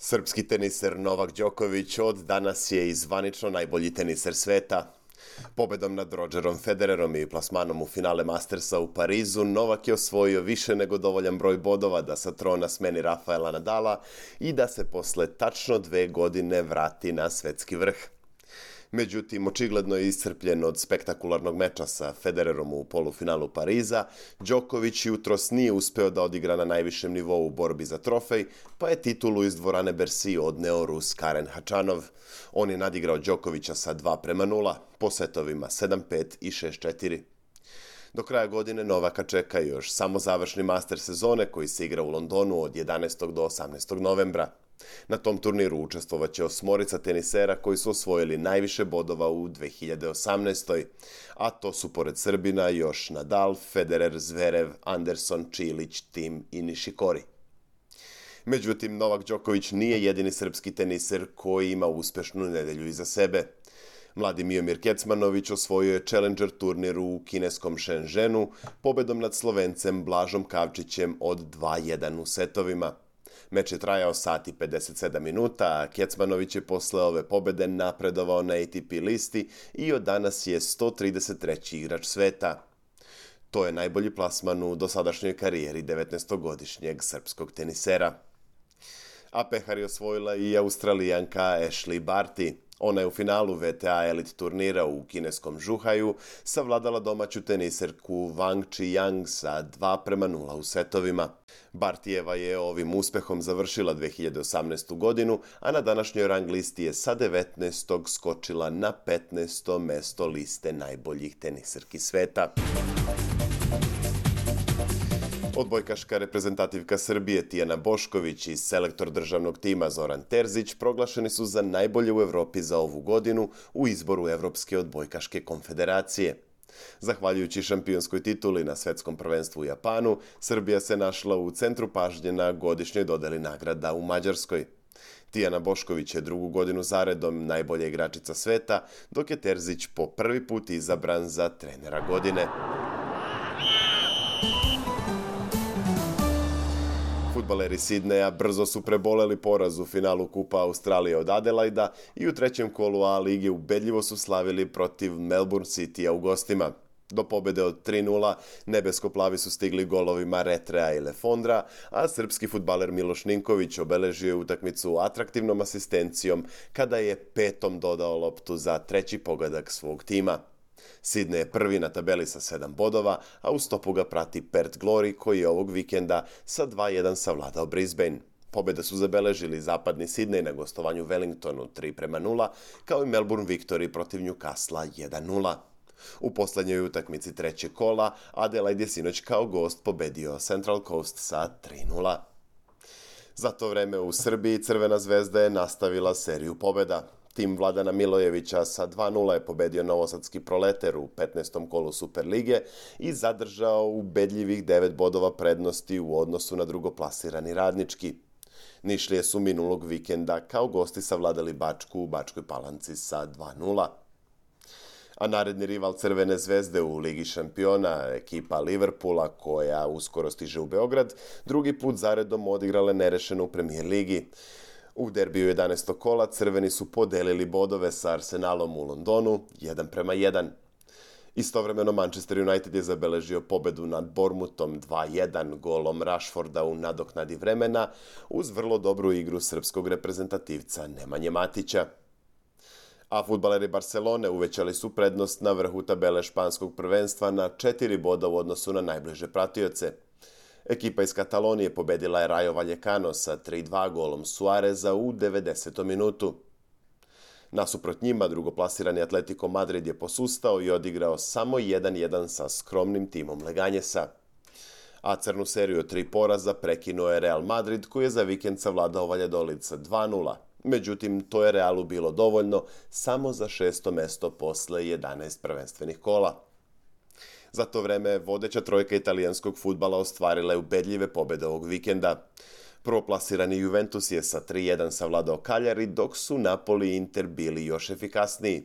Srpski teniser Novak Đoković od danas je i zvanično najbolji teniser sveta. Pobedom nad Rodgerom Federerom i plasmanom u finale Mastersa u Parizu, Novak je osvojio više nego dovoljan broj bodova da sa trona smeni Rafaela Nadala i da se posle tačno 2 godine vrati na svetski vrh. Međutim, očigledno je iscrpljen od spektakularnog meča sa Federerom u polufinalu Pariza, Đoković jutros nije uspeo da odigra na najvišem nivou u borbi za trofej, pa je titulu iz dvorane Bercy odneo Rus Karen Khachanov. On je nadigrao Đokovića sa 2:0, po setovima 7:5 i 6:4. Do kraja godine Novaka čeka još samo završni master sezone koji se igra u Londonu od 11. do 18. novembra. Na tom turniru učestvovaće 8 tenisera koji su osvojili najviše bodova u 2018. A to su pored Srbina još Nadal, Federer, Zverev, Anderson, Čilić, Tim i Nišikori. Međutim, Novak Đoković nije jedini srpski teniser koji ima uspešnu nedelju iza sebe. Mladi Miomir Kecmanović osvojio je Challenger turnir u kineskom Shenzhenu pobedom nad Slovencem Blažom Kavčićem od 2:1 u setovima. Meč je trajao sat i 57 minuta, a Kecmanović je posle ove pobede napredovao na ATP listi i od danas je 133. igrač sveta. To je najbolji plasman u dosadašnjoj karijeri 19-godišnjeg srpskog tenisera. A pehar je osvojila i Australijanka Ashleigh Barty. Ona je u finalu WTA Elite turnira u kineskom Zhuhaiu savladala domaću teniserku Wang Qiyang sa 2:0 u setovima. Bartijeva je ovim uspehom završila 2018. godinu, a na današnjoj rang listi je sa 19. skočila na 15. mesto liste najboljih teniserki sveta. Odbojkaška reprezentativka Srbije Tijana Bošković i selektor državnog tima Zoran Terzić proglašeni su za najbolje u Evropi za ovu godinu u izboru Evropske odbojkaške konfederacije. Zahvaljujući šampionskoj tituli na svetskom prvenstvu u Japanu, Srbija se našla u centru pažnje na godišnjoj dodeli nagrada u Mađarskoj. Tijana Bošković je 2. godinu zaredom najbolja igračica sveta, dok je Terzić po prvi put izabran za trenera godine. Fudbaleri Sidneja brzo su preboleli poraz u finalu Kupa Australije od Adelaida i u trećem kolu A lige ubedljivo su slavili protiv Melbourne Citya u gostima. Do pobede od 3:0 nebesko-plavi su stigli golovima Retrea i Lefondra, a srpski fudbaler Miloš Ninković obeležio je utakmicu atraktivnom asistencijom kada je petom dodao loptu za treći pogodak svog tima. Sidney je prvi na tabeli sa 7 bodova, a u stopu ga prati Perth Glory koji je ovog vikenda sa 2:1 savladao Brisbane. Pobjede su zabeležili zapadni Sidney na gostovanju Wellingtonu 3:0, kao i Melbourne Victory protiv Newcastle 1:0. U poslednjoj utakmici trećeg kola, Adelaide je sinoć kao gost pobedio Central Coast sa 3:0. Za to vreme u Srbiji Crvena zvezda je nastavila seriju pobjeda. Tim Vladana Milojevića sa 2:0 je pobedio novosadski Proleter u 15. kolu Superlige i zadržao ubedljivih 9 bodova prednosti u odnosu na drugoplasirani Radnički. Nišlije su minulog vikenda kao gosti savladali Bačku u Bačkoj Palanci sa 2:0. A naredni rival Crvene zvezde u Ligi šampiona, ekipa Liverpoola, koja uskoro stiže u Beograd, drugi put zaredom odigrale nerešeno u Premier ligi. U derbiju 11. kola crveni su podelili bodove sa Arsenalom u Londonu 1:1. Istovremeno Manchester United je zabeležio pobedu nad Bournemouthom 2:1 golom Rashforda u nadoknadi vremena uz vrlo dobru igru srpskog reprezentativca Nemanje Matića. A fudbaleri Barcelone uvećali su prednost na vrhu tabele španskog prvenstva na 4 boda u odnosu na najbliže pratioce. Ekipa iz Katalonije pobedila je Rayo Vallecano sa 3:2 golom Suareza u 90. minutu. Nasuprot njima, drugoplasirani Atletico Madrid je posustao i odigrao samo 1:1 sa skromnim timom Leganjesa. A crnu seriju od 3 poraza prekinuo je Real Madrid koji je za vikend savladao Valladolid sa 2:0. Međutim, to je Realu bilo dovoljno samo za 6. mesto posle 11 prvenstvenih kola. Za to vreme vodeća trojka italijanskog fudbala ostvarila je ubedljive pobjede ovog vikenda. Prvoplasirani Juventus je sa 3:1 savladao Cagliari, dok su Napoli i Inter bili još efikasniji.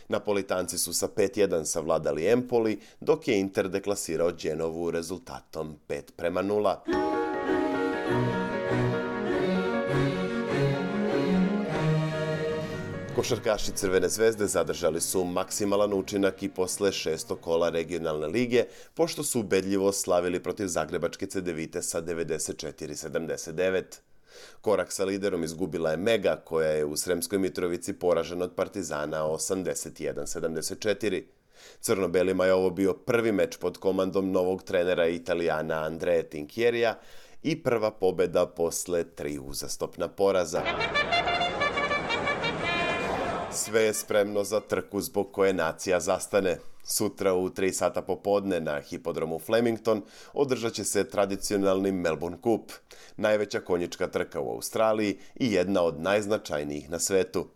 Napolitanci su sa 5:1 savladali Empoli, dok je Inter deklasirao Genovu rezultatom 5:0. Košarkaši Crvene zvezde zadržali su maksimalan učinak i posle 6. kola regionalne lige, pošto su ubedljivo slavili protiv Zagrebačke Cedevite sa 94-79. Korak sa liderom izgubila je Mega, koja je u Sremskoj Mitrovici poražena od Partizana 81-74. Crno-belima je ovo bio prvi meč pod komandom novog trenera Italijana Andrea Tinchierija i prva pobeda posle 3 uzastopna poraza. Sve je spremno za trku zbog koje nacija zastane. Sutra u 3 sata popodne na hipodromu Flemington održat će se tradicionalni Melbourne Cup, najveća konjička trka u Australiji i jedna od najznačajnijih na svetu.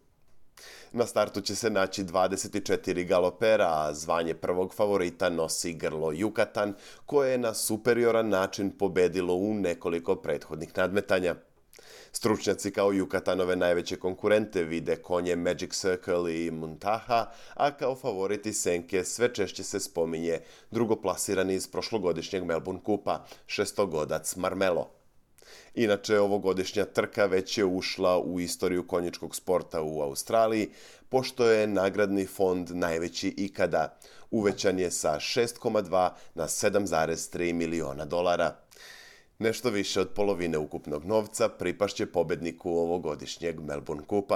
Na startu će se naći 24 galopera, a zvanje prvog favorita nosi grlo Yucatan, koje je na superioran način pobedilo u nekoliko prethodnih nadmetanja. Stručnjaci kao Yucatanove najveće konkurente vide konje Magic Circle i Muntaha, a kao favoriti senke sve češće se spominje drugoplasirani iz prošlogodišnjeg Melbourne Cupa, šestogodac Marmelo. Inače, ovogodišnja trka već je ušla u istoriju konjičkog sporta u Australiji, pošto je nagradni fond najveći ikada. Uvećan je sa 6,2 na 7,3 miliona dolara. Nešto više od polovine ukupnog novca pripašće pobedniku ovogodišnjeg Melbourne Cupa.